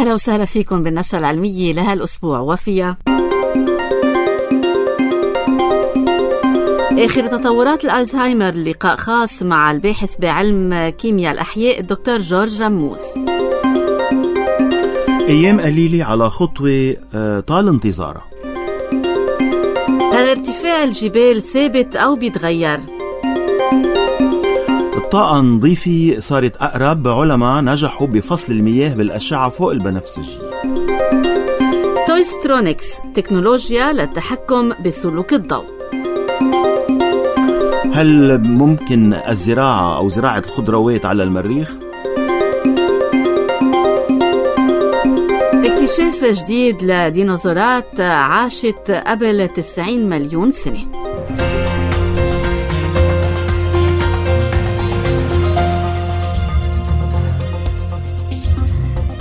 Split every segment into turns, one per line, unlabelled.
أهلا وسهلا فيكم بالنشرة العلمية لهالأسبوع وفيها آخر تطورات الألزهايمر. لقاء خاص مع الباحث بعلم كيمياء الأحياء الدكتور جورج رموز.
أيام قليلة على خطوة طال انتظارها.
هل ارتفاع الجبال ثابت أو بيتغير؟
الطاقة النظيفة صارت أقرب. علماء نجحوا بفصل المياه بالأشعة فوق البنفسجي.
تويسترونيكس تكنولوجيا للتحكم بسلوك الضوء.
هل ممكن الزراعة أو زراعة الخضروات على المريخ؟
اكتشاف جديد لديناصورات عاشت قبل 90 مليون سنة.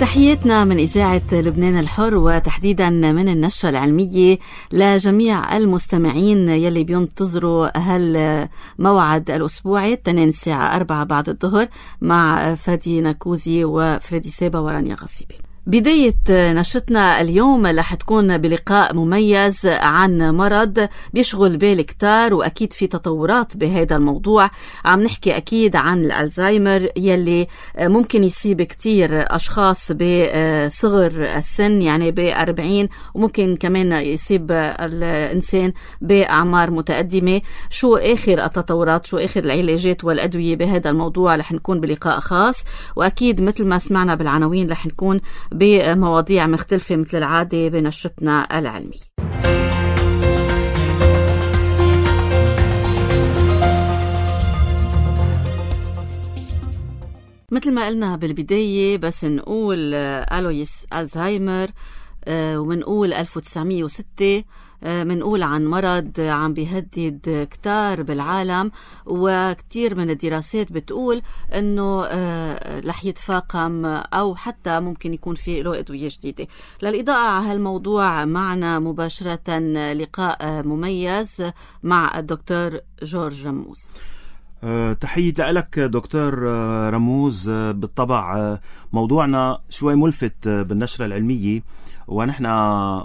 تحياتنا من إذاعة لبنان الحر وتحديدا من النشرة العلمية لجميع المستمعين يلي بينتظروا هالموعد الأسبوعي التنين الساعة 4 بعد الظهر مع فادي نكوزي وفريدي سابا ورانيا غصيبي. بداية نشرتنا اليوم رح تكون بلقاء مميز عن مرض بيشغل بال كتار وأكيد في تطورات بهذا الموضوع. عم نحكي أكيد عن الألزهايمر يلي ممكن يصيب كتير أشخاص بصغر السن يعني ب40 وممكن كمان يصيب الإنسان بأعمار متقدمة. شو آخر التطورات شو آخر العلاجات والأدوية بهذا الموضوع رح نكون بلقاء خاص وأكيد مثل ما سمعنا بالعناوين رح نكون بمواضيع مختلفة مثل العادة بنشرتنا العلمية. مثل ما قلنا بالبداية بس نقول ألويس ألزهايمر ومنقول 1906 منقول عن مرض عم بيهدد كتار بالعالم وكتير من الدراسات بتقول انه رح يتفاقم او حتى ممكن يكون في له أدوية جديدة. للإضاءة على هالموضوع معنا مباشرة لقاء مميز مع الدكتور جورج رموز.
تحية لك دكتور رموز. بالطبع موضوعنا شوي ملفت بالنشرة العلمية ونحن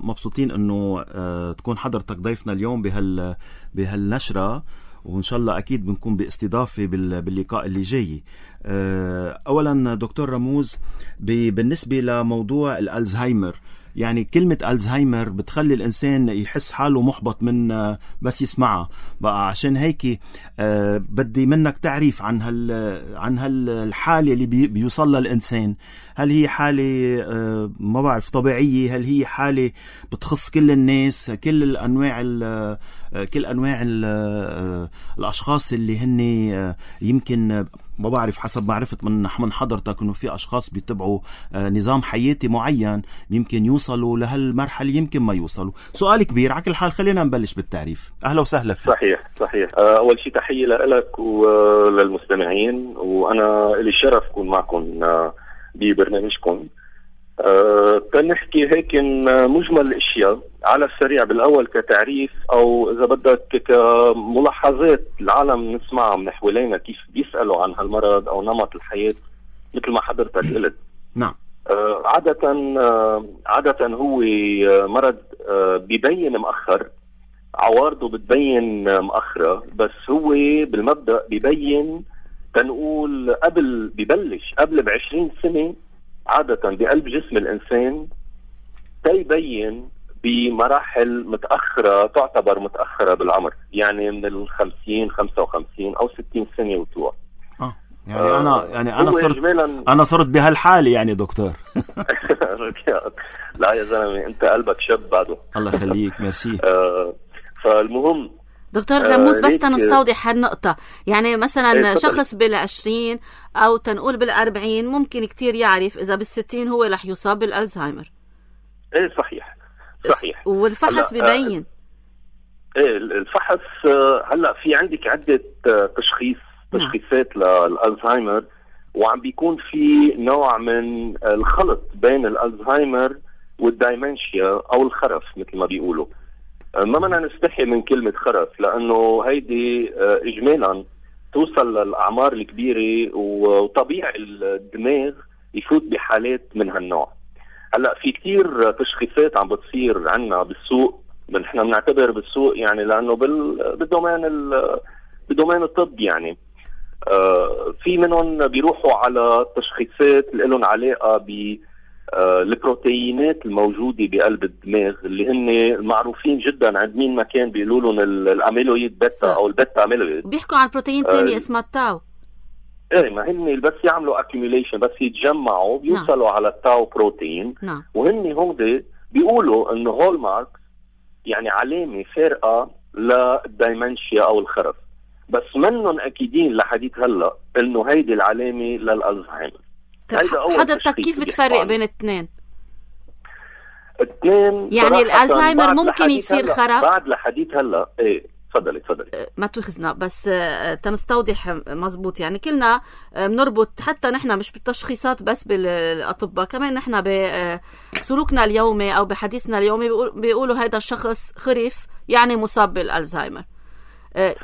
مبسوطين انه تكون حضرتك ضيفنا اليوم بهالنشرة وان شاء الله اكيد بنكون باستضافة باللقاء اللي جاي. اولا دكتور رموز بالنسبة لموضوع الألزهايمر يعني كلمة ألزهايمر بتخلي الإنسان يحس حاله محبط من بس يسمعها بقى. عشان هيك بدي منك تعريف عن هالحالة اللي بيوصل للإنسان. هل هي حالة ما بعرف طبيعية؟ هل هي حالة بتخص كل الناس كل أنواع الأشخاص اللي هن يمكن ما بعرف حسب معرفة من حضرتك انه في اشخاص بيتبعوا نظام حياتي معين يمكن يوصلوا لهالمرحلة يمكن ما يوصلوا. سؤال كبير على كل حال خلينا نبلش بالتعريف. اهلا وسهلا فيك.
صحيح. اول شيء تحية لك وللمستمعين وانا لي الشرف اكون معكم ببرنامجكم. تنحكي هيك مجمل الاشياء على السريع بالاول كتعريف او اذا بدك كملاحظات العالم نسمعها من حوالينا كيف بيسالوا عن هالمرض او نمط الحياه مثل ما حضرتك قلت.
نعم.
عادة هو مرض بيبين مؤخر عوارضه بتبين مؤخرة بس هو بالمبدأ بيبين تنقول ببلش قبل ب20 سنة عادة بقلب جسم الإنسان تيبين بمراحل متأخرة تعتبر متأخرة بالعمر يعني من 50 55 أو 60 سنة وطلوع.
أنا صرت بهالحالة يعني دكتور.
لا يا زلمة أنت قلبك شاب بعده.
الله يخليك ميرسي.
فالمهم
دكتور رموز بس تنستوضح هالنقطة يعني مثلا شخص بال20 أو تنقول بال40 ممكن كتير يعرف إذا بال60 هو رح يصاب بالألزهايمر.
إيه صحيح.
والفحص بيبين.
إيه الفحص هلأ في عندك عدة تشخيصات للألزهايمر وعم بيكون في نوع من الخلط بين الألزهايمر والدايمنشيا أو الخرف مثل ما بيقولوا. ما بدنا نستحي من كلمة خرف لأنه هيدي إجمالا توصل للأعمار الكبيرة وطبيعي الدماغ يفوت بحالات من هالنوع. هلا في كتير تشخيصات عم بتصير عنا بالسوق، نحن بنعتبر بالسوق يعني لانه بدومين الطب يعني في منهم بيروحوا على تشخيصات اللي لهم علاقه بالبروتينات الموجوده بقلب الدماغ اللي هن المعروفين جدا عند مين ما كان بيقولوا لهم الاميلويد بيتا او البيتا اميلويد.
بيحكوا عن بروتين تاني اسمه التاو.
ايه ما هن بس يعملوا accumulation بس يتجمعوا بيوصلوا على التاو بروتين. وهن هون بيقولوا انه هول مارك يعني علامه فارقه للدايمنشيا او الخرف، بس منهم اكيدين لحديث هلا انه هيدي العلامه للالزهايمر.
حضرتك كيف بتفرق بين الاثنين
يعني
الالزهايمر ممكن يصير خرف
بعد لحديث هلا؟ ايه تفضلي
ما تخزنا بس تنستوضح مزبوط. يعني كلنا بنربط حتى نحن مش بالتشخيصات بس بالاطباء، كمان نحن بسلوكنا اليومي او بحديثنا اليومي بيقولوا هذا الشخص خرف يعني مصاب بالالزهايمر.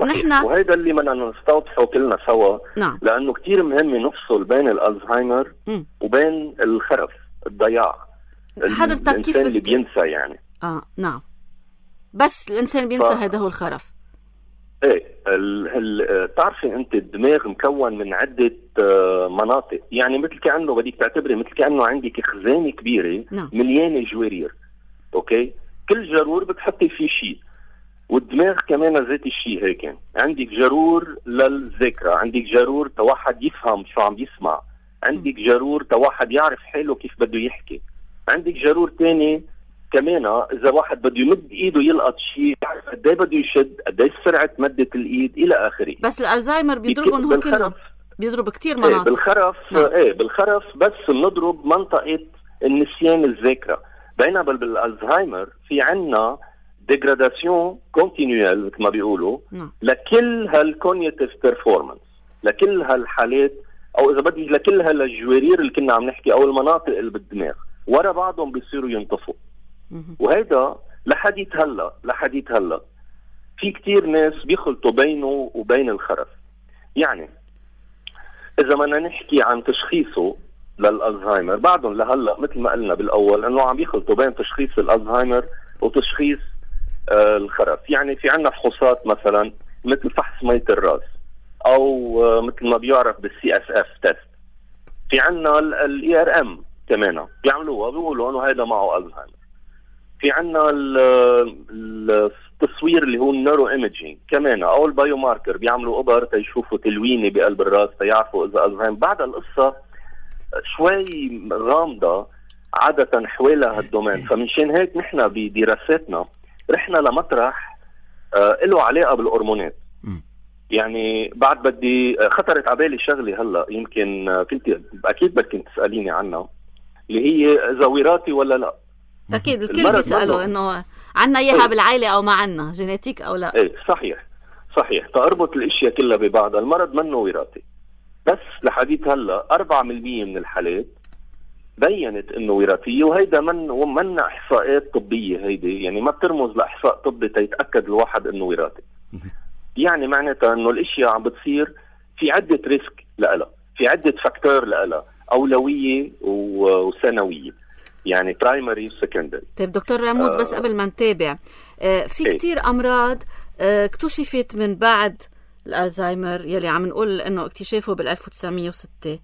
نحن وهذا اللي بدنا نستوضحه كلنا سوا.
نعم.
لانه كتير مهم نفصل بين الالزهايمر وبين الخرف الضياع.
حضرتك كيف
اللي بينسى يعني
نعم بس الانسان بينسى هذا هو الخرف.
ايه تعرفي انت الدماغ مكون من عدة مناطق، يعني مثل كأنه بدك تعتبري مثل كأنه عندك خزانة كبيرة مليانة جوارير. اوكي، كل جرور بتحطي فيه شيء، والدماغ كمان ذات الشيء هيك. عندك جرور للذاكرة، عندك جرور تواحد يفهم شو عم يسمع، عندك جرور تواحد يعرف حاله كيف بده يحكي، عندك جرور تاني كمان اذا واحد بده يمد ايده يلقط شيء يعرف قد ايه بده يشد، قد ايه سرعه مده الايد الى اخره.
بس الالزهايمر بيضربهم هو كلهم، بيضرب كتير مناطق.
بالخرف بالخرف بس بنضرب منطقه النسيان الذاكره، بينما بالالزهايمر في عنا ديجراداسيون كونتينيوال مثل ما بيقولوا لكل هالكونيتيف بيرفورمانس، لكل هالحالات او اذا بدي لكل هالجوارير اللي كنا عم نحكي او المناطق اللي بالدماغ ورا بعضهم بيصيروا ينطفوا. وهيدا لحديث هلا في كتير ناس بيخلطوا بينه وبين الخرف. يعني اذا بدنا نحكي عن تشخيصه للالزهايمر بعدهم لهلا مثل ما قلنا بالاول انه عم بيخلطوا بين تشخيص الالزهايمر وتشخيص الخرف. يعني في عنا فحوصات مثلا مثل فحص مية الراس او مثل ما بيعرف بالسي اس اف تيست. في عنا الاي ار ام كمان بيعملوها بيقولوا انه هذا معه الزهايمر. في عنا التصوير اللي هو النيرو ايميجينج كمان او البايو ماركر، بيعملوا ابر تيشوفوا تلوينه بقلب الراس تيعرفوا اذا الزهايمر. بعد القصه شوي غامضه عاده حوالي هالدومين، فمنشان هيك نحن بدراساتنا رحنا لمطرح له علاقه بالهرمونات. يعني بعد بدي خطرت على بالي شغله هلا يمكن كنت اكيد بدك تساليني عنها، اللي هي اذا وراثي ولا لا.
اكيد الكل بيسالوا انه عنا اياها بالعائله او ما عنا جينيتيك او لا.
ايه صحيح تربط الاشياء كلها ببعضها. المرض منه وراثي، بس لحديث هلا 4% من الحالات بينت انه وراثيه، وهيدا من احصاءات طبيه. هيدي يعني ما بترمز لاحصاء طبي تيتاكد الواحد انه وراثي. يعني معناتها انه الاشياء عم بتصير في عده ريسك لها، في عده فاكتور لها، اولويه وثانويه، برايمري وسكندري.
طيب دكتور راموز بس قبل ما نتابع، في كتير امراض اكتشفت من بعد الالزهايمر يلي عم نقول انه اكتشافه بال1906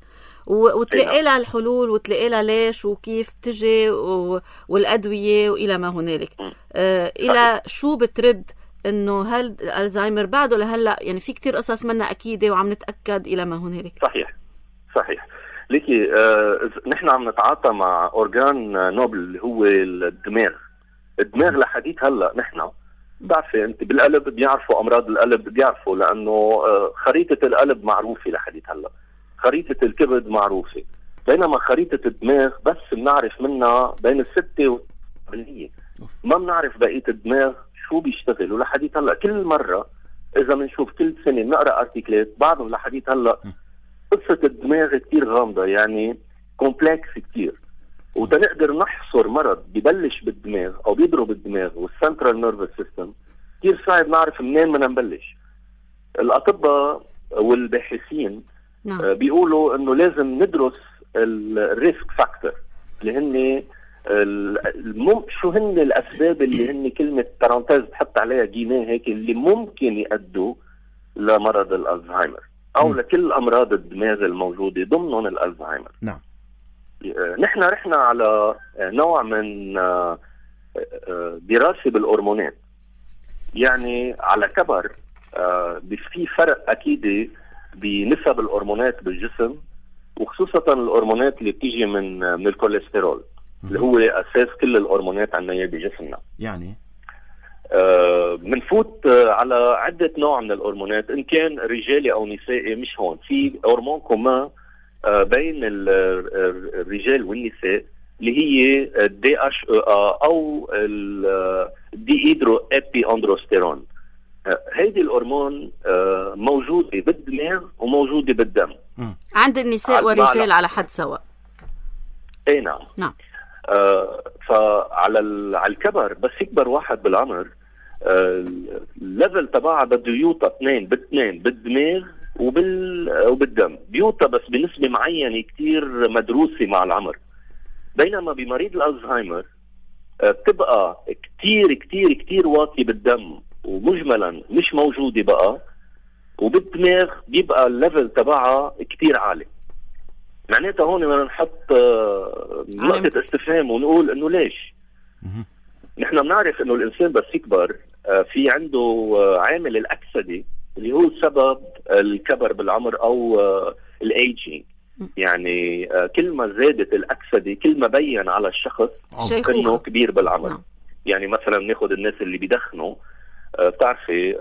وتلاقي لها الحلول وتلاقي لها ليش وكيف تجي والادويه والى ما هنالك. الى شو بترد انه هل الزهايمر بعده لهلا؟ يعني في كتير قصص منا اكيده وعم نتاكد الى ما هنالك.
صحيح ليكي نحن عم نتعاطى مع اورجان نوبل اللي هو الدماغ لحديث هلا. نحن بتعرفي انت بالقلب بيعرفوا امراض القلب، بيعرفوا لانه خريطه القلب معروفه لحديث هلا، خريطه الكبد معروفه، بينما خريطه الدماغ بس بنعرف منها بين 6 و8%. ما بنعرف بقيه الدماغ شو بيشتغل. ولحديث هلا كل مره اذا بنشوف كل سنه بنقرا ارتيكلات بعضهم لحديث هلا قصه الدماغ كتير غامضه، يعني كومبلكس كتير، وتنقدر نحصر مرض ببلش بالدماغ او بيضرب الدماغ والسنترال نيرفس سيستم كتير صعب نعرف منين بدنا نبلش. الاطباء والباحثين بيقولوا انه لازم ندرس الريسك فاكتور اللي هن شو هن الاسباب اللي هن كلمه بارانتيز بحط عليها جيميه هيك اللي ممكن يؤدوا لمرض الالزهايمر او لكل امراض الدماغ الموجوده ضمنهم الالزهايمر.
نعم.
نحن رحنا على نوع من دراسه بالهرمونات، يعني على كبر في فرق اكيد بنسب الهرمونات بالجسم، وخصوصا الهرمونات اللي بتيجي من الكوليسترول اللي هو اساس كل الهرمونات عندنا بجسمنا.
يعني
بنفوت على عده نوع من الهرمونات ان كان رجالي او نسائي. مش هون في هرمون كومان بين الرجال والنساء اللي هي DHEA او الديهيدرو ابي اندروستيرون. هيدي الهرمون موجوده بالدماغ وموجوده بالدم
عند النساء والرجال على حد سواء.
اي نعم.
نعم.
فعلى الكبر بس يكبر واحد بالعمر الليفل تبعها بده يوطى اثنين بالدماغ وبالدم، بيوطى بس بنسبة معينة كتير مدروسة مع العمر. بينما بمريض الألزهايمر بتبقى كتير كتير كتير واطي بالدم ومجملا مش موجودة بقى، وبالدماغ بيبقى الليفل تبعها كتير عالي. معناتها هون بدنا نحط نقطة استفهام ونقول انه ليش؟ نحن بنعرف انه الانسان بس يكبر في عنده عامل الاكسدة اللي هو سبب الكبر بالعمر او الايجينج. يعني كل ما زادت الاكسدة كل ما بين على الشخص انه كبير بالعمر. يعني مثلا ناخد الناس اللي بيدخنوا، بتعرفي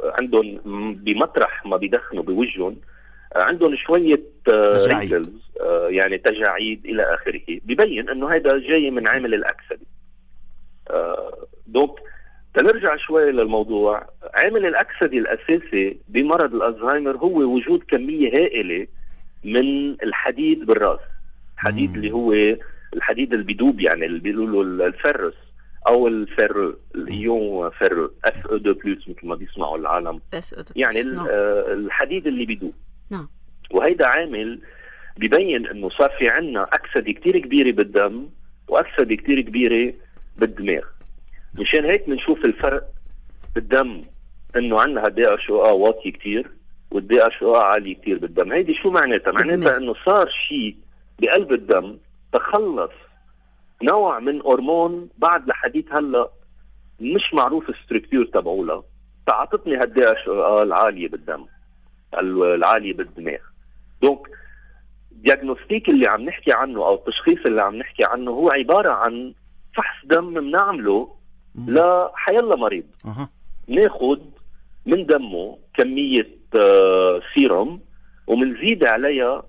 عندهم بمطرح ما بيدخنوا بوجهن عندهم شوية رينكلز، يعني تجاعيد إلى آخره، بيبين أنه هذا جاي من عامل الأكسدة. دوك تنرجع شوي للموضوع. عامل الأكسدة الأساسي بمرض الألزهايمر هو وجود كمية هائلة من الحديد بالرأس. الحديد اللي هو الحديد اللي بيدوب، يعني اللي بيقولوا الفرس أو الفيرو، الإيون فيرو Fe2+، مثل ما بيسمعوا العالم، يعني الحديد اللي بيدوب.
نعم.
وهيدا عامل بيبين انه صار في عنا اكسده كتير كبيره بالدم واكسده كتير كبيره بالدماغ. مشان هيك بنشوف الفرق بالدم، انه عنا DHEA واطي كتير والDHEA عالي كتير بالدم. هيدي شو معناتها؟ معناتها انه صار شيء بقلب الدم تخلص نوع من هرمون بعد لحديت هلا مش معروف الستركتور تبعوله، فعطتني DHEA العاليه بالدم العالية بالدماغ. دونك دياغنوستيك اللي عم نحكي عنه او التشخيص اللي عم نحكي عنه هو عبارة عن فحص دم بنعمله لحيلا مريض. ناخد من دمه كمية سيروم ومنزيد عليها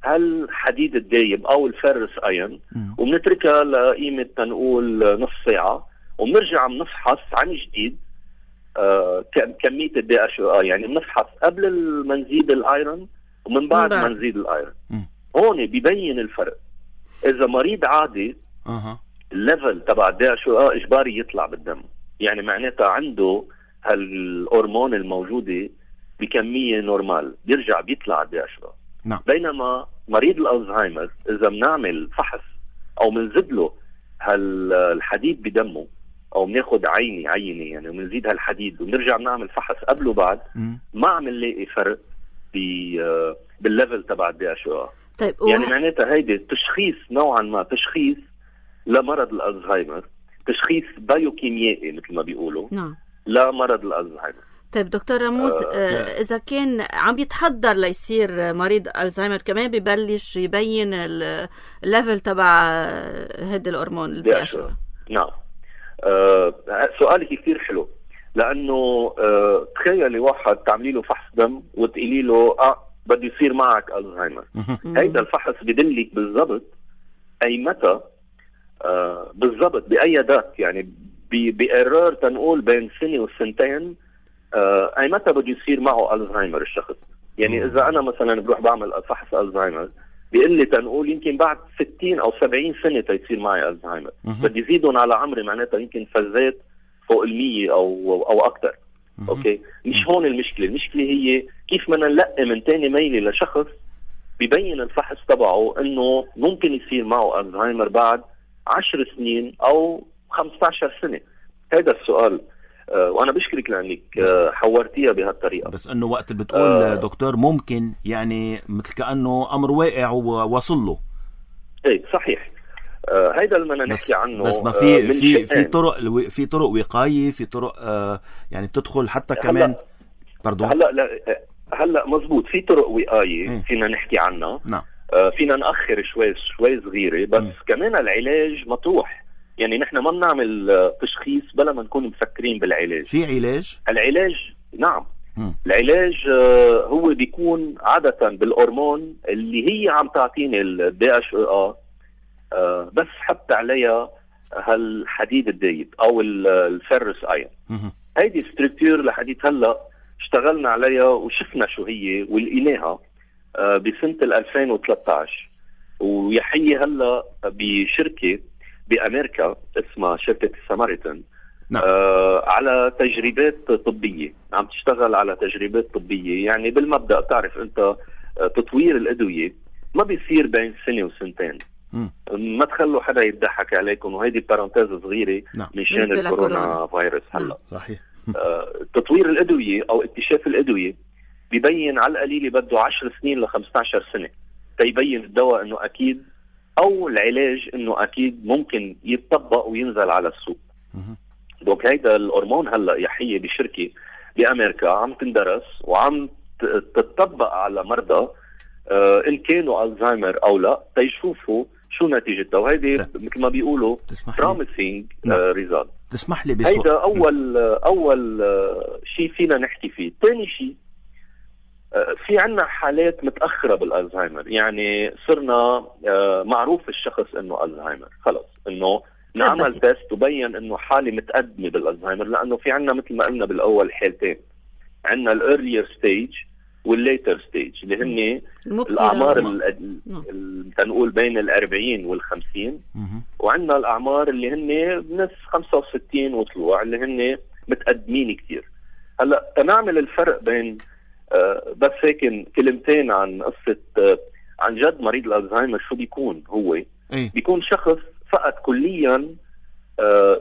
هالحديد الدايب او الفيرس ايون وبنتركها لقيمة تنقول نص ساعة، وبنرجع بنفحص عن جديد كمية DHEA. يعني بنفحص قبل ما نزيد الايرون ومن بعد ما نزيد الايرون. هون بيبين الفرق. اذا مريض عادي الليفل تبع DHEA اجباري يطلع بالدم، يعني معناتها عنده هالهرمون الموجودة بكمية نورمال بيرجع بيطلع DHEA.
نعم.
بينما مريض الألزهايمر إذا بنعمل فحص أو بنزيد له هالحديد بدمه أو بناخد عينة يعني وبنزيد هالحديد ونرجع بنعمل فحص قبل وبعد، ما عم نلاقي فرق بالليفل تبع DHEA.
طيب
يعني معناتها هيدي تشخيص نوعا ما تشخيص لمرض الألزهايمر، تشخيص بايوكيميائي مثل ما بيقولوا.
نعم.
لمرض الألزهايمر.
طيب دكتور رموز، إذا كان عم يتحضر ليصير مريض ألزهايمر كمان ببلش يبين الليفل تبع هيدا الهرمون DHEA.
نعم. سؤالك كثير حلو، لأنه تخيلي واحد تعملي له فحص دم وتقولي له بده يصير معك ألزهايمر. هيدا الفحص بدلك بالضبط أي متى بالضبط بأي دات، يعني بإيرور تنقول بين سنة وسنتين أي متى بده يصير معه ألزهايمر الشخص. يعني إذا أنا مثلا بروح بعمل فحص ألزهايمر بيقول لي تنقول يمكن بعد 60 أو 70 سنة تيصير معي ألزهايمر، بدي يزيدون على عمري، معناتها يمكن فزات فوق 100 أو أكتر. أوكي، مش هون المشكلة. المشكلة هي كيف بدنا نلقي من تاني ميلة لشخص بيبين الفحص تبعه إنه ممكن يصير معه ألزهايمر بعد 10 سنين أو 15 سنة؟ هذا السؤال. وأنا بشكرك لأنك حورتيها بهالطريقة.
بس أنه وقت بتقول دكتور ممكن يعني مثل كأنه أمر واقع ووصل له.
ايه صحيح. هيدا اللي بدنا نحكي عنه.
بس ما في طرق وقاية، في طرق يعني بتدخل حتى كمان
هلا مزبوط، في طرق وقاية فينا نحكي عنها.
نعم.
فينا نأخر شوي صغيرة، بس كمان العلاج مطروح. يعني نحن ما بنعمل تشخيص بلا ما نكون مفكرين بالعلاج.
في علاج؟
العلاج نعم. العلاج هو بيكون عادة بالهرمون اللي هي عم تعطيني الDHEA، بس حط عليها هالحديد الدايب او الفيرس ايون. هيدي ستركتور لحديت هلا اشتغلنا عليها وشفنا شو هي ولقيناها بسنة 2013. ويحيي هلا بشركة بأمريكا اسمها شركة ساماريتن.
نعم.
على تجربات طبية، عم تشتغل على تجربات طبية. يعني بالمبدأ تعرف انت تطوير الأدوية ما بيصير بين سنة وسنتين. ما تخلوا حدا يضحك عليكم، وهيدي بارانتيز صغيرة.
نعم.
مشان الكورونا فيروس هلا.
صحيح.
تطوير الأدوية أو اكتشاف الأدوية بيبين على القليل بده 10 سنين ل 15 سنة تيبين الدواء انه اكيد او العلاج انه اكيد ممكن يتطبق وينزل على السوق. دوك هيدا الهرمون هلا يحيي بشركة بأمريكا عم تندرس وعم تتطبق على مرضى ان كانوا الزهايمر او لا، تيشوفوا شو نتيجتها. وهيدي مثل ما بيقولوا promising result.
تسمح لي
هيدا اول شيء فينا نحكي فيه. ثاني شيء، في عنا حالات متأخرة بالألزهايمر. يعني صرنا معروف الشخص انه ألزهايمر، خلص انه نعمل تيست وبين انه حالة متقدمة بالألزهايمر. لانه في عنا مثل ما قلنا بالاول حالتين، عنا الارلير ستيج والليتر ستيج اللي هن الاعمار تنقول بين 40 وال50، وعنا الاعمار اللي هن بنص 65 وطلوع اللي هن متقدمين كتير. هلا تنعمل الفرق بين بس هيك كلمتين عن قصة عن جد مريض الألزهايمر شو بيكون. هو بيكون شخص فقد كليا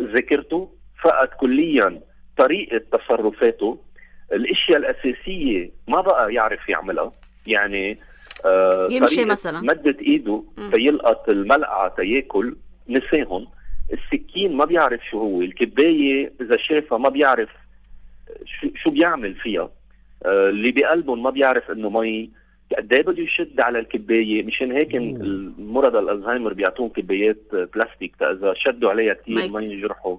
ذاكرته، فقد كليا طريقة تصرفاته، الاشياء الأساسية ما بقى يعرف يعملها. يعني
يمشي مثلا
مدت ايده فيلقط الملعقة تياكل نساهم، السكين ما بيعرف شو هو، الكباية إذا شافها ما بيعرف شو بيعمل فيها، اللي بقلبهم ما بيعرف انه مي قد ايه بده يشد على الكبايه. مشان هيك المرضى الالزهايمر بيعطون كبايات بلاستيك اذا شدوا عليها كثير ما ينجرحوا.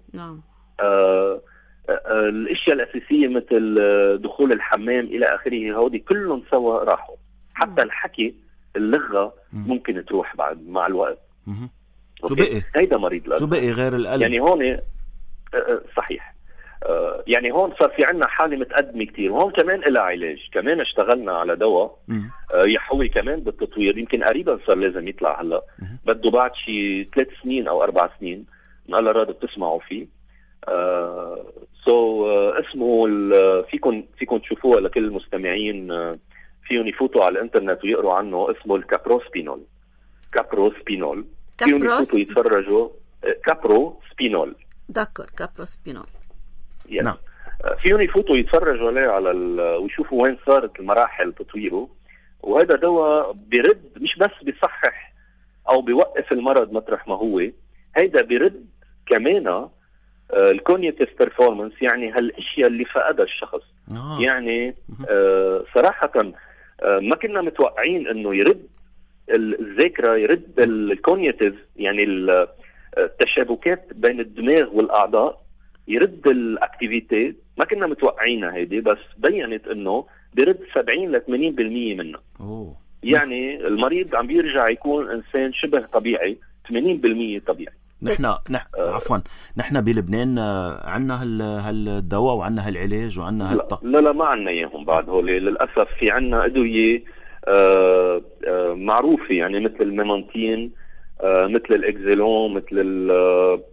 الاشياء الاساسيه مثل دخول الحمام الى اخره، هودي كلهم سوا راحوا. حتى الحكي، اللغه ممكن تروح بعد مع الوقت.
شو بقي؟
هيدا مريض الالزهايمر.
شو بقي غير القلب؟
يعني هون صحيح. يعني هون صار في عنا حالة متقدمة كتير، وهون كمان إلها علاج. كمان اشتغلنا على دواء يحوي كمان بالتطوير، يمكن قريبا صار لازم يطلع هلا، بده بعد شي 3 سنين أو 4 سنين. هلا راد بتسمعوا فيه. اسمه فيكن تشوفوها لكل المستمعين، فيهم يفوتوا على الانترنت ويقروا عنه. اسمه الكابروسبينول. فيهم يفوتوا يتفرجوا. كابروسبينول.
دكر كابروسبينول.
نعم.
فيهم يفوتوا يتفرجوا عليه على ويشوفوا وين صارت المراحل تطويره. وهذا دواء بيرد، مش بس بيصحح او بيوقف المرض مطرح ما هو، هيدا بيرد كمان الكونيتيف بيرفورمانس، يعني هالاشياء اللي فقدها الشخص. يعني صراحة ما كنا متوقعين انه يرد الذاكرة، يرد الكونيتيف، يعني التشابكات بين الدماغ والاعضاء، يرد الاكتيفيتي. ما كنا متوقعينها هيدي، بس بينت انه بيرد 70 ل 80% منها. يعني المريض عم بيرجع يكون انسان شبه طبيعي، 80% طبيعي.
عفوا، نحن بلبنان عنا هالدواء وعنا هالعلاج وعنا
لا ما عنا اياهم بعد. هول للاسف في عنا ادويه معروفه، يعني مثل الميمانتين، مثل الاكزيلون، مثل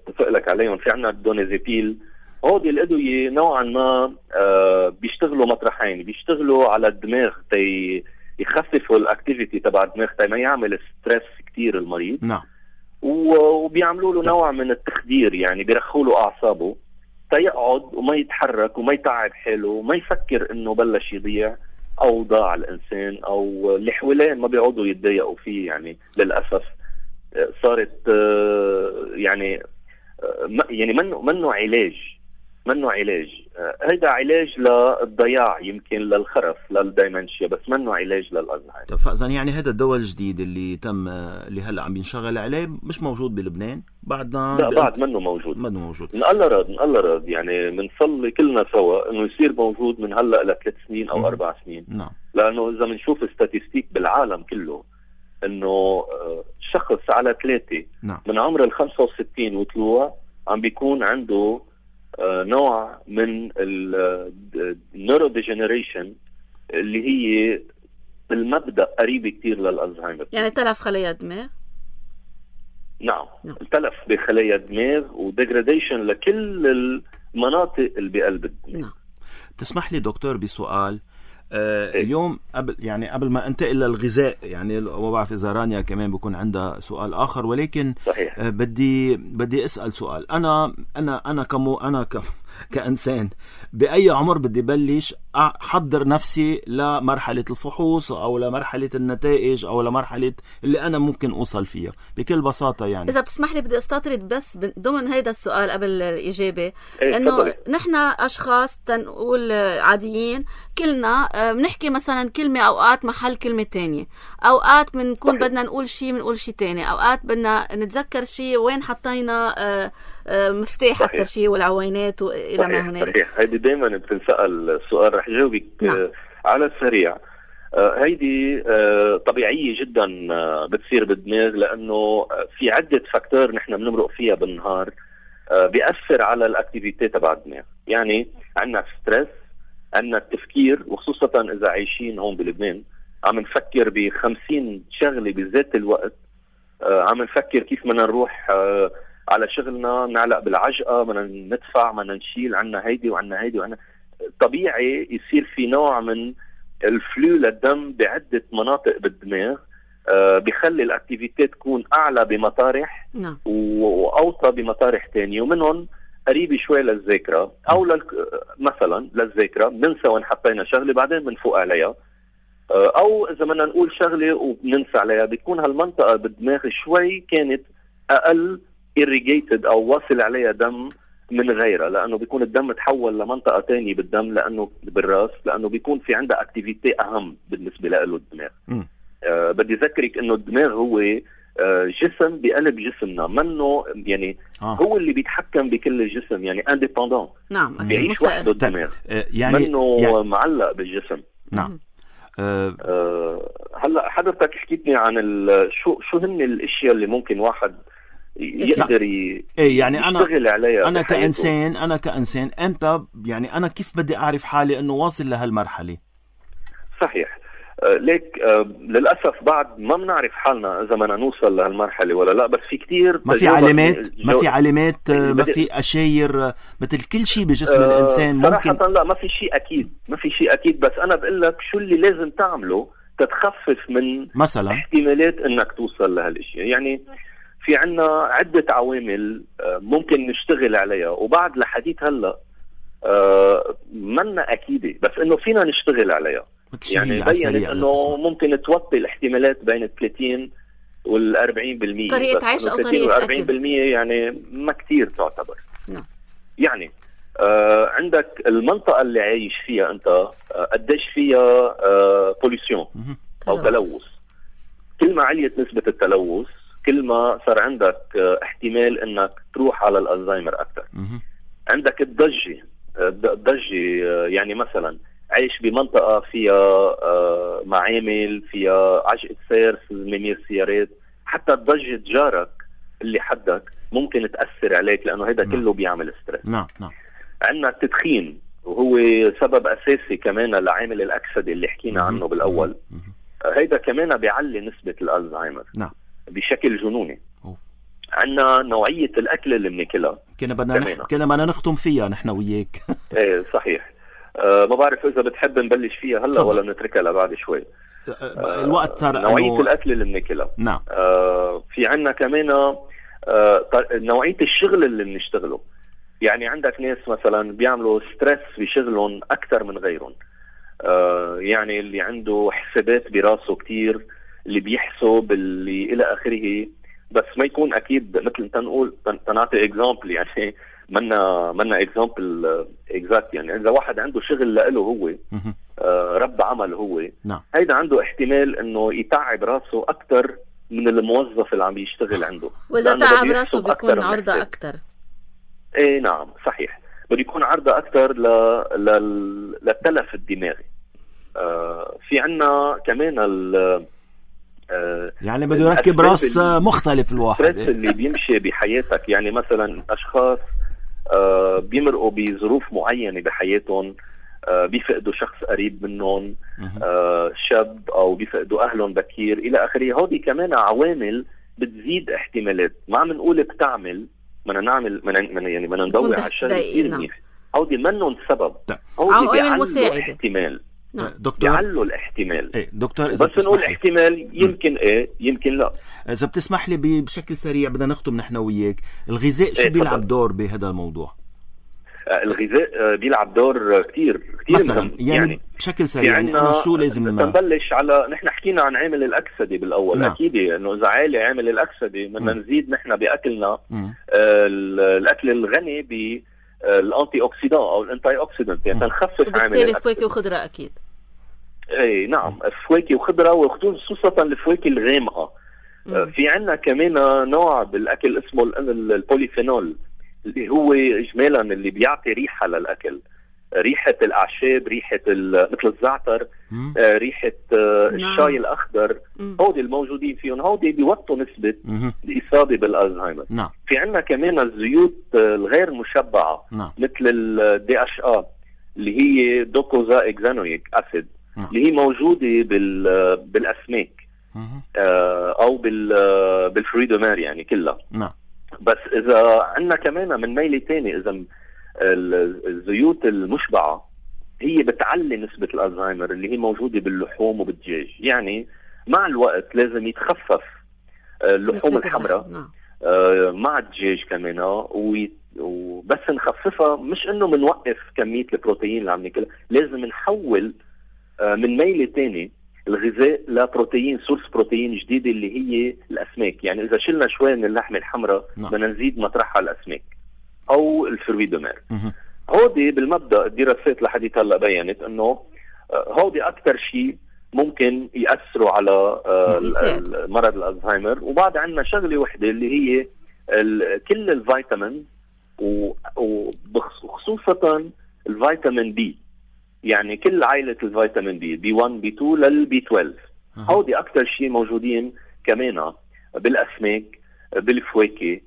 بفقلك عليهم. في عنا الدونازيبيل. هودي الادويه نوعا ما بيشتغلوا مطرحين، بيشتغلوا على الدماغ يخففوا الاكتيفيتي تبع الدماغ ما يعمل ستريس كتير المريض.
نعم.
وبيعملوا له نوع من التخدير، يعني بيرخوا له اعصابه تيقعد وما يتحرك وما يتعب حاله وما يفكر انه بلش يضيع او ضاع الانسان، او اللي حواليه ما بيقعدوا يتضايقوا فيه. يعني للاسف صارت يعني منه علاج. هيدا علاج للضياع، يمكن للخرف، للدايمنشيا، بس منه علاج للألزهايمر.
طب فإذا يعني هذا الدواء الجديد اللي هلا عم ينشغل عليه مش موجود بلبنان بعدنا؟
لا، بعد منه موجود. من الله راد يعني بنصلي كلنا سوا انه يصير موجود من هلا ل 3 سنين او 4 سنين.
نعم.
لانه اذا بنشوف ستاتستيك بالعالم كله انه شخص على 3
نعم.
من عمر 65 وطلوع عم بيكون عنده نوع من النيورو ديجنريشن اللي هي بالمبدأ قريبة كتير للألزهايمر.
يعني تلف خلايا الدماغ.
نعم. تلف بخلايا الدماغ وديجراديشن لكل المناطق اللي بقلب الدماغ.
نعم.
تسمح لي دكتور بسؤال. اليوم قبل ما انتقل للغذاء، يعني ما بعرف اذا رانيا كمان بيكون عندها سؤال اخر، ولكن
صحيح.
بدي اسال سؤال. انا كانسان باي عمر بدي بلش احضر نفسي لمرحله الفحوص او لمرحله النتائج او لمرحله اللي انا ممكن اوصل فيها بكل بساطه؟ يعني
اذا بتسمح لي بدي استطرد بس ضمن هيدا السؤال قبل الاجابه، انه نحن اشخاص تنقول عاديين كلنا بنحكي مثلا كلمه اوقات محل كلمه تانية، اوقات بنكون بدنا نقول شيء تاني، اوقات بدنا نتذكر شيء وين حطينا مفتاح اكثر شيء والعوينات والى ما هنالك.
صحيح. هيدي دائما بتنسال السؤال، رح جاوبك على السريع. هيدي طبيعيه جدا بتصير بالدماغ، لانه في عده فاكتور نحن بنمرق فيها بالنهار بيأثر على الاكتيفيتي تبع الدماغ. يعني عندنا ستريس، عندنا التفكير، وخصوصا اذا عايشين هون بلبنان عم نفكر ب50 شغله بذات الوقت. عم نفكر كيف بدنا نروح على شغلنا، نعلق بالعجقه، بدنا ندفع، بدنا نشيل، عنا هيدي وعنا هيدي وعنا. طبيعي يصير في نوع من الفلو للدم بعده مناطق بالدماغ، بيخلي الاكتيفيتي تكون اعلى بمطارح واوطى بمطارح تانية، ومنهم قريبه شوي للذاكره، او مثلا للذاكره بننسى وين حطينا شغله بعدين بنفوق عليها، او اذا بدنا نقول شغله وبننسى عليها بتكون هالمنطقه بالدماغ شوي كانت اقل irrigated او واصل عليها دم من غيرها، لانه بيكون الدم تحول لمنطقه تانية بالدم، لانه بالراس، لانه بيكون في عندها اكتيفيتي اهم بالنسبه له الدماغ. بدي اذكرك انه الدماغ هو جسم بقلب جسمنا، منه يعني هو اللي بيتحكم بكل الجسم، يعني انديبندون.
نعم.
بيعيش وحده الدماغ،
يعني
منه يعني معلق بالجسم.
نعم.
هلا حضرتك حكيتني عن شو هن الاشياء اللي ممكن واحد يقدر
يعني
يشتغل عليها.
انا كانسان امتى يعني انا كيف بدي اعرف حالي انه واصل لهالمرحله؟
صحيح. ليك للاسف بعد ما بنعرف حالنا اذا بدنا نوصل لهالمرحله ولا لا، بس في كتير
ما في علامات ما في اشاير مثل كل شيء بجسم الانسان ممكن.
صراحه لا، ما في شيء اكيد، بس انا بقول لك شو اللي لازم تعمله تتخفف من
مثلا
احتمالات انك توصل لهالاشياء. يعني في عنا عده عوامل ممكن نشتغل عليها، وبعد لحديث هلا منا اكيده، بس انه فينا نشتغل عليها. يعني بيّنت انه ممكن توطي الاحتمالات بين 30 وال40%.
طريقة عيش او طريقة
40% يعني ما كتير تعتبر.
نعم.
يعني عندك المنطقة اللي عايش فيها انت قديش فيها بوليسيون او تلوث. كل ما عليت نسبة التلوث كل ما صار عندك احتمال انك تروح على الألزهايمر اكثر. عندك الضجة، يعني مثلا عايش بمنطقة فيها معامل، فيها عجقة سير، ممير سيارات، حتى ضجة جارك اللي حدك ممكن تأثر عليك، لأنه هذا كله بيعمل ستريس.
نعم.
عندنا التدخين، وهو سبب أساسي كمان لعامل الأكسدة اللي حكينا عنه بالأول. هيدا كمان بيعلي نسبة الألزهايمر بشكل جنوني. عندنا نوعية الأكل اللي بناكلها،
كنا بدنا نختم فيها نحن وياك.
ايه صحيح. ما بعرف إذا بتحب نبلش فيها هلا ولا نتركها لبعد شوي.
الوقت صار
نوعية الأكل اللي بناكلها.
نعم.
في عنا كمان نوعية الشغل اللي بنشتغله. يعني عندك ناس مثلا بيعملوا ستريس بشغلهم أكثر من غيرهم، يعني اللي عنده حسابات براسه كتير، اللي بيحسب، اللي إلى آخره، بس ما يكون أكيد مثل تنقول تنعطي إكزامبل، يعني منا إكزامبل إكزاكت. يعني إذا واحد عنده شغل لإله هو رب عمل هو، هيدا عنده احتمال إنه يتعب راسه أكتر من الموظف اللي عم يشتغل عنده،
وإذا تعب راسه بيكون عرضة أكتر.
إيه نعم صحيح، بده يكون عرضة أكتر للتلف الدماغي. في عنا كمان
يعني بده يركب راس مختلف الواحد
اللي بيمشي بحياتك. يعني مثلا أشخاص بيمرقوا بظروف معينة بحياتهم، بيفقدوا شخص قريب منهم، شاب، أو بيفقدوا أهلهم بكير إلى آخره. هودي كمان عوامل بتزيد احتمالات. ما عم نقول بتعمل، بدنا نعمل، يعني بدنا ندور على الشيء كثير منيح. هودي منهم سبب، هودي بيعلوا احتمال، بيعلوا الاحتمال.
إيه دكتور،
بس نقول احتمال، يمكن ايه يمكن لا.
إذا بتسمح لي بشكل سريع بدنا نختم نحن وياك، الغذاء شو بيلعب دور بهذا الموضوع؟
الغذاء بيلعب دور كتير
مثلا
مهم.
يعني بشكل سريع، يعني أنا شو لازم
نبلش على، نحن حكينا عن عامل الأكسدة بالأول. أكيد إنه إذا عالي عامل الأكسدة بدنا نزيد نحن بأكلنا الأكل الغني بالأنتي أوكسيدان أو الأنتي أوكسيدانت، يعني نخفف عامل الأكسدة.
فواكه وخضرة أكيد.
إيه نعم، فواكه وخضرة، وخصوصا الفواكه الغامقة. في عنا كمان نوع بالأكل اسمه البوليفينول، اللي هو إجمالا اللي بيعطي ريحة للأكل، ريحة الأعشاب، ريحة مثل الزعتر، ريحة الشاي الأخضر. هودي الموجودين فيهم، هودي بيوطوا نسبة الإصابة بالألزهايمر. في عنا كمان الزيوت الغير مشبعة، مثل الDHA اللي هي دوكوزا إكزانويك أسيد، اللي هي موجودة بالأسماك أو بالفريدومار يعني كلها. بس إذا عنا كمان من ميلة تاني، إذا الزيوت المشبعة هي بتعلي نسبة الألزهايمر اللي هي موجودة باللحوم وبالدجاج. يعني مع الوقت لازم يتخفف اللحوم الحمراء مع الدجاج كمان، وبس نخففها، مش إنه منوقف كمية البروتين اللي عم ناكلها، لازم نحول من ميلة تاني الغذاء لبروتين، سورس بروتين جديدة اللي هي الأسماك. يعني إذا شلنا شوي من اللحمة الحمراء بدنا نزيد مطرحها الأسماك أو الفرويدومار. هودي بالمبدأ الدراسات لحديث هلا بيّنت إنه هودي أكتر شيء ممكن يأثروا على مرض الألزهايمر. وبعد عنا شغلة وحدة اللي هي كل الفيتامين، وخصوصا الفيتامين بي، يعني كل عائلة الفيتامين بي 1 بي 2 للبي 12. هودي أكتر شيء موجودين كمان بالأسماك، بالفواكه،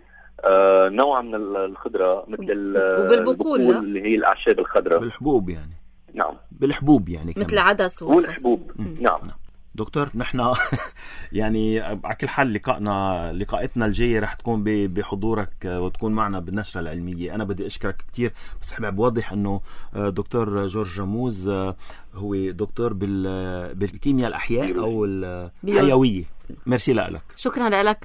نوع من الخضرة مثل البقول اللي هي الأعشاب الخضراء،
بالحبوب يعني.
نعم
بالحبوب يعني
كمان.
مثل عدس
والحبوب. نعم
دكتور، نحن يعني على كل حال لقاءتنا الجاية رح تكون بحضورك وتكون معنا بالنشرة العلمية. أنا بدي أشكرك كتير، بس حابب أوضح أنه دكتور جورج رموز هو دكتور بالكيمياء الأحياء أو الحيوية. ميرسي لك.
شكرا لك.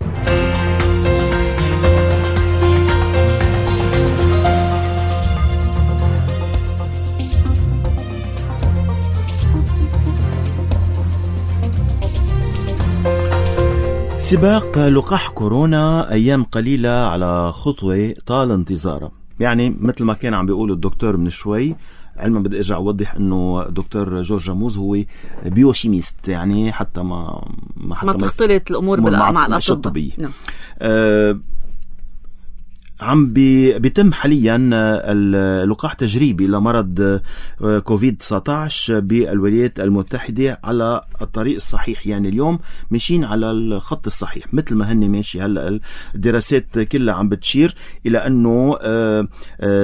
سباق لقاح كورونا أيام قليلة على خطوة طال انتظارها. يعني مثل ما كان عم بيقول الدكتور من شوي، علما بدي ارجع اوضح انه دكتور جورج رموز هو بيوشيميست، يعني حتى ما
تختلط الامور مع
الاطباء. عم بيتم حاليا اللقاح تجريبي لمرض كوفيد-19 بالولايات المتحدة على الطريق الصحيح. يعني اليوم ماشيين على الخط الصحيح مثل ما هن ماشي. هلأ الدراسات كلها عم بتشير إلى أنه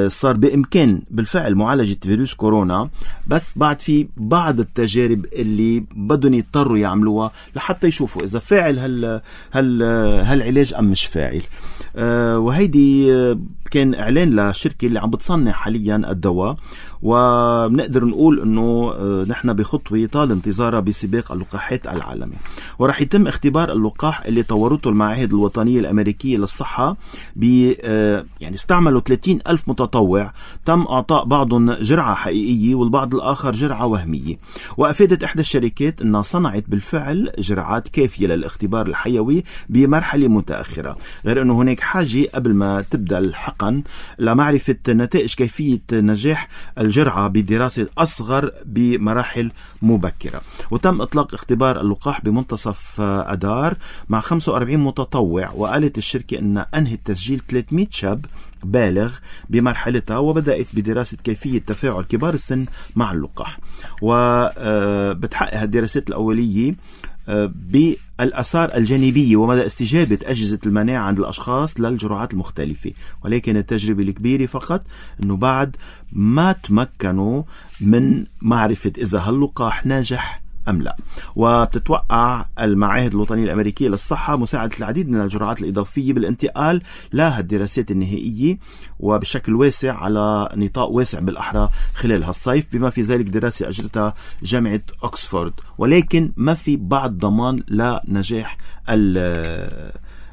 صار بإمكان بالفعل معالجة فيروس كورونا، بس بعد في بعض التجارب اللي بدهم يضطروا يعملوها لحتى يشوفوا إذا فاعل هالعلاج أم مش فاعل. وهيدي كان إعلان لشركة اللي عم بتصنع حاليا الدواء، وبنقدر نقول أنه نحن بخطوة طال انتظارها بسباق اللقاحات العالمي. ورح يتم اختبار اللقاح اللي طورته المعاهد الوطنية الأمريكية للصحة يعني استعملوا 30,000 متطوع، تم أعطاء بعضهم جرعة حقيقية والبعض الآخر جرعة وهمية. وأفادت إحدى الشركات أنها صنعت بالفعل جرعات كافية للاختبار الحيوي بمرحلة متأخرة، غير أنه هناك حاجة قبل ما تبدأ الحقن لمعرفة نتائج كيفية نجاح الجرعة بدراسة أصغر بمراحل مبكرة. وتم إطلاق اختبار اللقاح بمنتصف أدار مع 45 متطوع، وقالت الشركة أن أنهت تسجيل 300 شاب بالغ بمرحلتها، وبدأت بدراسة كيفية تفاعل كبار السن مع اللقاح. وبتحقق الدراسات الأولية بالآثار الجانبية ومدى استجابة أجهزة المناعة عند الأشخاص للجرعات المختلفة. ولكن التجربة الكبيرة فقط أنه بعد ما تمكنوا من معرفة إذا هاللقاح ناجح أم لا. وبتتوقع المعاهد الوطنية الأمريكية للصحة مساعدة العديد من الجرعات الإضافية بالانتقال لها الدراسات النهائية وبشكل واسع على نطاق واسع بالأحرى خلال هالصيف، بما في ذلك دراسة أجرتها جامعة أكسفورد. ولكن ما في بعض ضمان لنجاح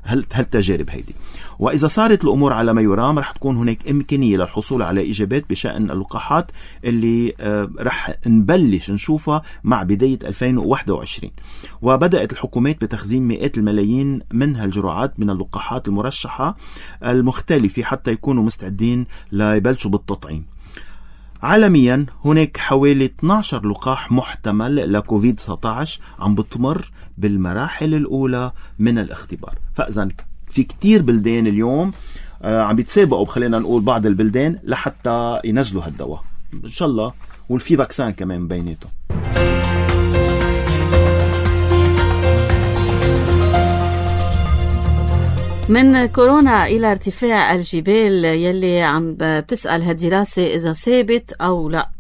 هالتجارب هيدي. وإذا صارت الأمور على ما يرام رح تكون هناك إمكانية للحصول على إجابات بشأن اللقاحات اللي رح نبلش نشوفها مع بداية 2021. وبدأت الحكومات بتخزين مئات الملايين من هالجرعات من اللقاحات المرشحة المختلفة حتى يكونوا مستعدين ليبلشوا بالتطعيم. عالميا هناك حوالي 12 لقاح محتمل لكوفيد 19 عم بتمر بالمراحل الأولى من الاختبار. فإذا في كتير بلدان اليوم عم بيتسابقوا، خلينا نقول بعض البلدان لحتى ينزلوا هالدواء إن شاء الله، والفي فاكسان كمان بيناتهم.
من كورونا إلى ارتفاع الجبال يلي عم بتسأل هالدراسة إذا ثابت أو لا.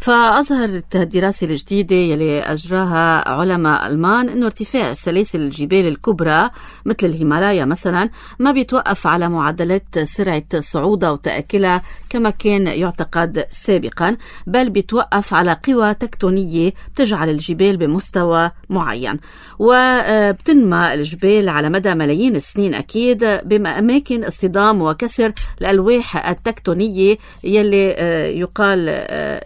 فأظهرت الدراسة الجديدة يلي أجراها علماء ألمان إنه ارتفاع سلاسل الجبال الكبرى مثل الهيمالايا مثلا ما بيتوقف على معدلات سرعة صعودها وتأكلها كما كان يعتقد سابقا، بل بيتوقف على قوى تكتونية بتجعل الجبال بمستوى معين. وبتنمى الجبال على مدى ملايين السنين أكيد بأماكن اصطدام وكسر الألواح التكتونية يلي يقال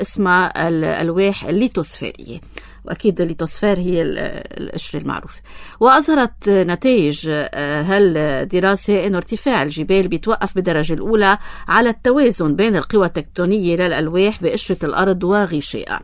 اسمها الألواح الليتوسفيرية، وأكيد الليتوسفير هي القشرة المعروفة. وأظهرت نتائج هالدراسة أن ارتفاع الجبال بيتوقف بالدرجة الأولى على التوازن بين القوى التكتونية للألواح بقشرة الأرض وغشائها.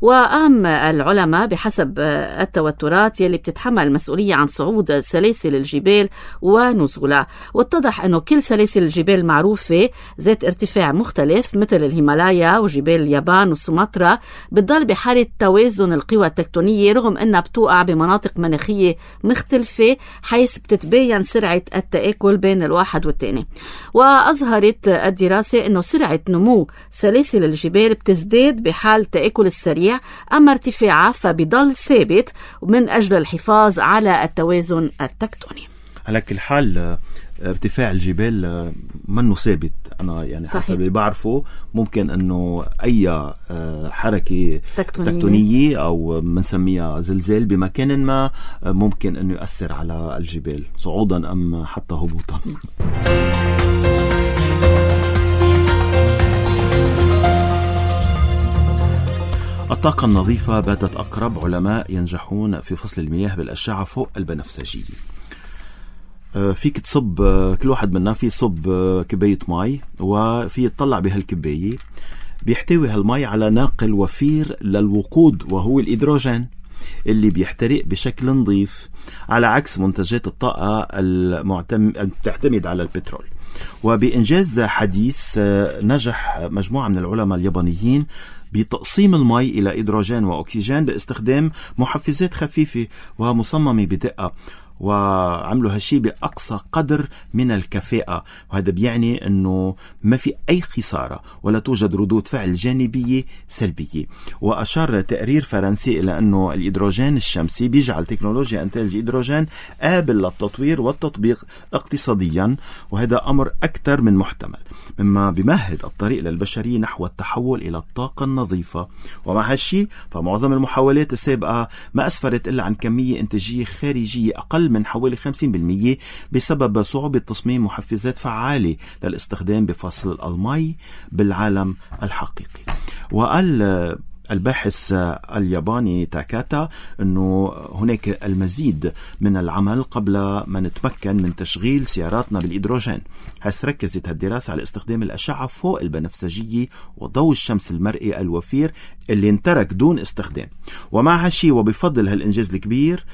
وقام العلماء بحسب التوترات يلي بتتحمل المسؤولية عن صعود سلاسل الجبال ونزولها، واتضح أنه كل سلاسل الجبال المعروفة ذات ارتفاع مختلف مثل الهيمالايا وجبال اليابان وسومطرة بتضل بحالة توازن القوى التكتونية رغم أنها بتوقع بمناطق مناخية مختلفة حيث بتتباين سرعة التآكل بين الواحد والتاني. وأظهرت الدراسة أنه سرعة نمو سلاسل الجبال بتزداد بحال التآكل السريع، أما ارتفاعها فبيضل ثابت من أجل الحفاظ على التوازن التكتوني.
على كل حال ارتفاع الجبال منه ثابت. أنا يعني صحيح. حسب اللي بعرفه ممكن أنه أي حركة تكتونية أو منسميها زلزال بمكان ما ممكن أنه يؤثر على الجبال صعودا أم حتى هبوطا. الطاقة النظيفة باتت أقرب، علماء ينجحون في فصل المياه بالأشعة فوق البنفسجية. فيك تصب، كل واحد منا في صب كباية ماء وفي يتطلع بهالكباية، بيحتوي هالماء على ناقل وفير للوقود وهو الهيدروجين اللي بيحترق بشكل نظيف، على عكس منتجات الطاقة تعتمد على البترول. وبإنجاز حديث نجح مجموعة من العلماء اليابانيين بتقسيم الماء إلى هيدروجين وأكسجين باستخدام محفزات خفيفة ومصممة بدقة. وعملوا هالشي بأقصى قدر من الكفاءة، وهذا بيعني أنه ما في أي خسارة ولا توجد ردود فعل جانبية سلبية. وأشار تقرير فرنسي إلى أنه الهيدروجين الشمسي بيجعل تكنولوجيا إنتاج الهيدروجين قابل للتطوير والتطبيق اقتصاديا، وهذا أمر أكثر من محتمل، مما بيمهد الطريق للبشرية نحو التحول إلى الطاقة النظيفة. ومع هالشي فمعظم المحاولات السابقة ما أسفرت إلا عن كمية إنتاجية خارجية أقل من حوالي 50% بسبب صعوبة تصميم محفزات فعالة للاستخدام بفصل المي بالعالم الحقيقي. وقال الباحث الياباني تاكاتا أنه هناك المزيد من العمل قبل ما نتمكن من تشغيل سياراتنا بالهيدروجين، حيث ركزت الدراسة على استخدام الأشعة فوق البنفسجية وضوء الشمس المرئي الوفير اللي انترك دون استخدام. ومع هالشي وبفضل هالإنجاز الكبير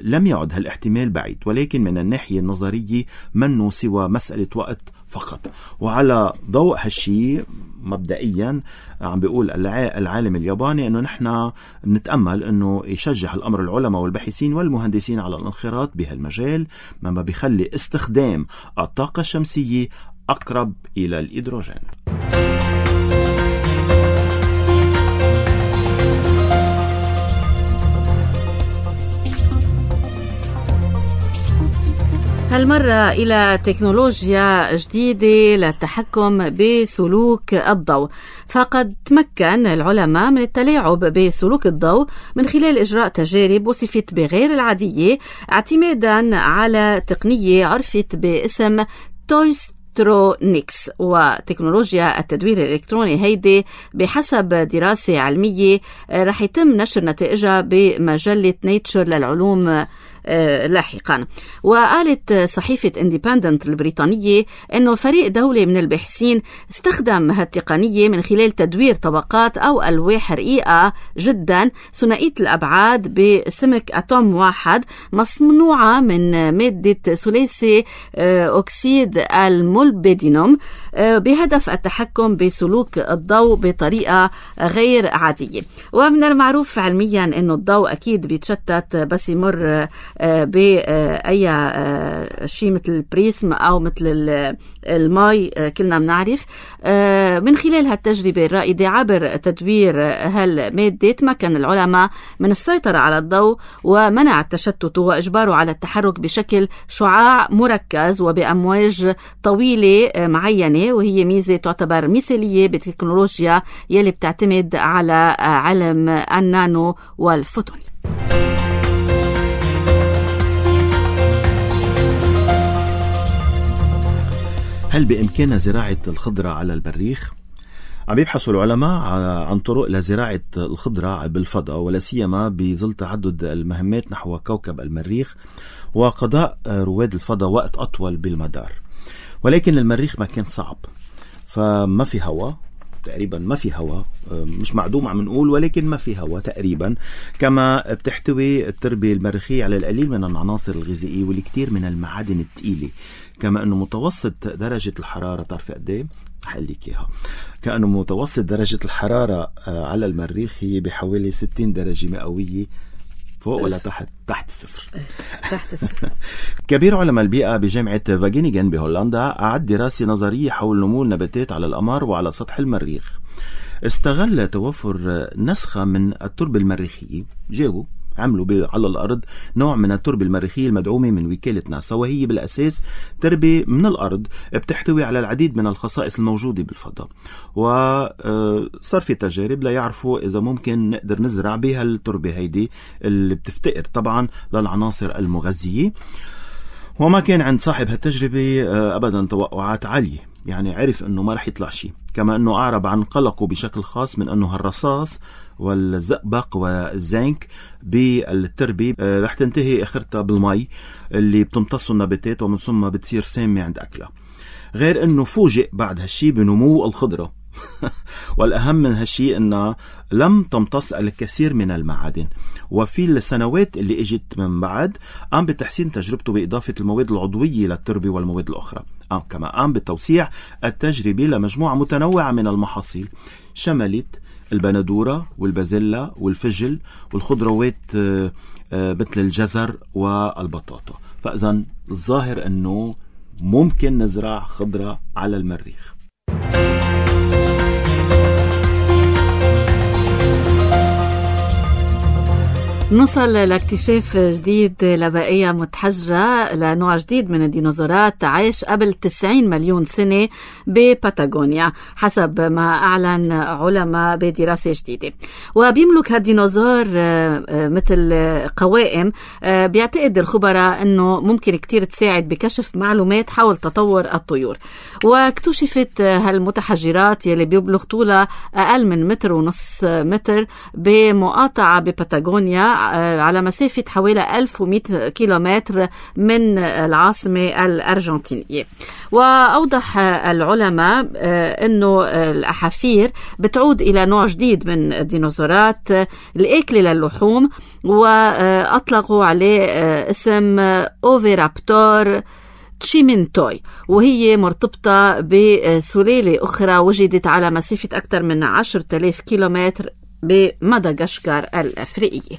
لم يعد هالاحتمال بعيد، ولكن من الناحية النظرية منه سوى مسألة وقت فقط. وعلى ضوء هالشي مبدئيا عم بيقول العالم الياباني انه نحن بنتأمل انه يشجع الامر العلماء والباحثين والمهندسين على الانخراط بهالمجال، مما بيخلي استخدام الطاقة الشمسية اقرب الى الهيدروجين.
هالمرة إلى تكنولوجيا جديدة للتحكم بسلوك الضوء. فقد تمكن العلماء من التلاعب بسلوك الضوء من خلال إجراء تجارب وصفت بغير العادية، اعتمادا على تقنية عرفت باسم تويسترونيكس. وتكنولوجيا التدوير الإلكتروني هيدي بحسب دراسة علمية رح يتم نشر نتائجها بمجلة نيتشر للعلوم لاحقا. وقالت صحيفة انديبندنت البريطانية أنه فريق دولي من الباحثين استخدم هالتقنية من خلال تدوير طبقات أو ألواح رقيقة جدا ثنائية الأبعاد بسمك أتوم واحد مصنوعة من مادة ثلاثي أكسيد المولبدينوم بهدف التحكم بسلوك الضوء بطريقة غير عادية. ومن المعروف علميا أنه الضوء أكيد بيتشتت بس يمر بأي شيء مثل البريسم أو مثل الماء كلنا بنعرف. من خلال هالتجربة الرائدة عبر تدوير هالمادة تمكن العلماء من السيطرة على الضوء ومنع التشتت وإجباره على التحرك بشكل شعاع مركز وبأمواج طويلة معينة، وهي ميزة تعتبر مثالية بالتكنولوجيا يلي بتعتمد على علم النانو والفوتون.
هل بإمكاننا زراعة الخضرة على المريخ؟ عم يبحثوا العلماء عن طرق لزراعة الخضرة بالفضاء، ولا سيما بظل تعدد المهمات نحو كوكب المريخ وقضاء رواد الفضاء وقت أطول بالمدار. ولكن المريخ مكان صعب، فما في هواء تقريبا، ما في هواء، مش معدوم عم نقول، ولكن ما في هواء تقريبا. كما بتحتوي التربة المريخية على القليل من العناصر الغذائية والكثير من المعادن الثقيلة. كما أنه متوسط درجة الحرارة، تعرف قد ايه؟ حقلك إياها. كأنه متوسط درجة الحرارة على المريخ هي بحوالي 60 درجة مئوية، فوق ولا تحت الصفر.
تحت الصفر.
كبير علماء البيئة بجامعة فاجينيغن بهولندا أعد دراسة نظرية حول نمو النباتات على القمر وعلى سطح المريخ. استغل توفر نسخة من التربة المريخية، جابوا عملوا على الأرض نوع من التربة المريخية المدعومة من وكالة ناسا، وهي بالأساس تربة من الأرض بتحتوي على العديد من الخصائص الموجودة بالفضاء. وصار في تجارب ليعرفوا إذا ممكن نقدر نزرع بها التربة هيدي اللي بتفتقر طبعا للعناصر المغذية. وما كان عند صاحب هالتجربة أبدا توقعات عالية، يعني عرف أنه ما رح يطلع شيء. كما أنه أعرب عن قلقه بشكل خاص من أنه الرصاص والزئبق والزنك بالتربة رح تنتهي آخرتها بالمي اللي بتمتصه النباتات ومن ثم بتصير سامة عند أكلها. غير أنه فوجئ بعد هالشي بنمو الخضرة والأهم من هالشي أنها لم تمتص الكثير من المعادن. وفي السنوات اللي اجت من بعد قام بتحسين تجربته بإضافة المواد العضوية للتربة والمواد الأخرى. كما قام بتوسيع التجربة لمجموعة متنوعة من المحاصيل، شملت البندورة والبازيلا والفجل والخضروات مثل الجزر والبطاطا. فإذن الظاهر أنه ممكن نزرع خضرة على المريخ.
نوصل لاكتشاف جديد لبقية متحجرة لنوع جديد من الديناصورات عاش قبل 90 مليون سنة بباتاغونيا حسب ما أعلن علماء بدراسة جديدة. وبيملك هالديناصور مثل قوائم بيعتقد الخبراء أنه ممكن كتير تساعد بكشف معلومات حول تطور الطيور. واكتشفت هالمتحجرات يلي بيبلغ طولها أقل من 1.5 متر بمقاطعة بباتاغونيا على مسافة حوالي 1100 كيلومتر من العاصمة الأرجنتينية. وأوضح العلماء أنه الأحافير بتعود إلى نوع جديد من الديناصورات الأكلة للحوم، وأطلقوا عليه اسم أوفيرابتور تشيمينتوي، وهي مرتبطة بسلالة أخرى وجدت على مسافة أكثر من 10,000 كيلومتر بمدغشقر الأفريقية.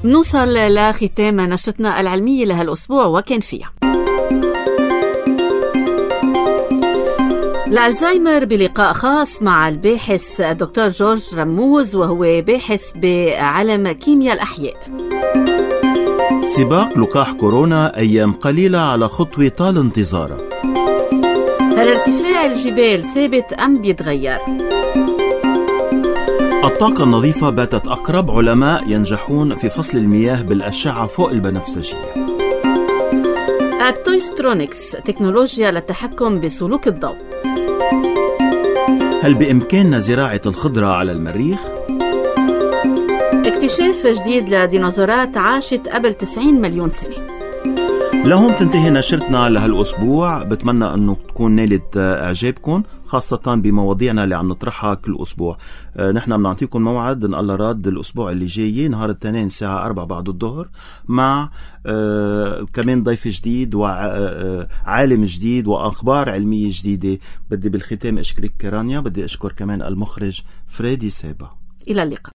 نوصل لختام نشرتنا العلمية لهالأسبوع وكان فيها الألزهايمر بلقاء خاص مع الباحث الدكتور جورج رموز، وهو باحث بعلم كيمياء الأحياء.
سباق لقاح كورونا أيام قليلة على خطوة طال انتظارها.
هل ارتفاع الجبال ثابت أم بيتغير؟
الطاقة النظيفة باتت أقرب علماء ينجحون في فصل المياه بالأشعة فوق البنفسجية.
التويسترونكس تكنولوجيا للتحكم بسلوك الضوء.
هل بإمكاننا زراعة الخضرة على المريخ؟
اكتشاف جديد لديناصورات عاشت قبل 90 مليون سنة.
لهم تنتهي نشرتنا لهالأسبوع. بتمنى أنه تكون نالت إعجابكم، خاصة بمواضيعنا اللي عم نطرحها كل أسبوع. نحن بنعطيكم موعد إن الله راد الأسبوع اللي جاي نهار الاثنين الساعة 4 بعد الظهر مع كمان ضيف جديد وعالم جديد وأخبار علمية جديدة. بدي بالختام أشكرك رانيا، بدي أشكر كمان المخرج فريدي سابا.
إلى اللقاء.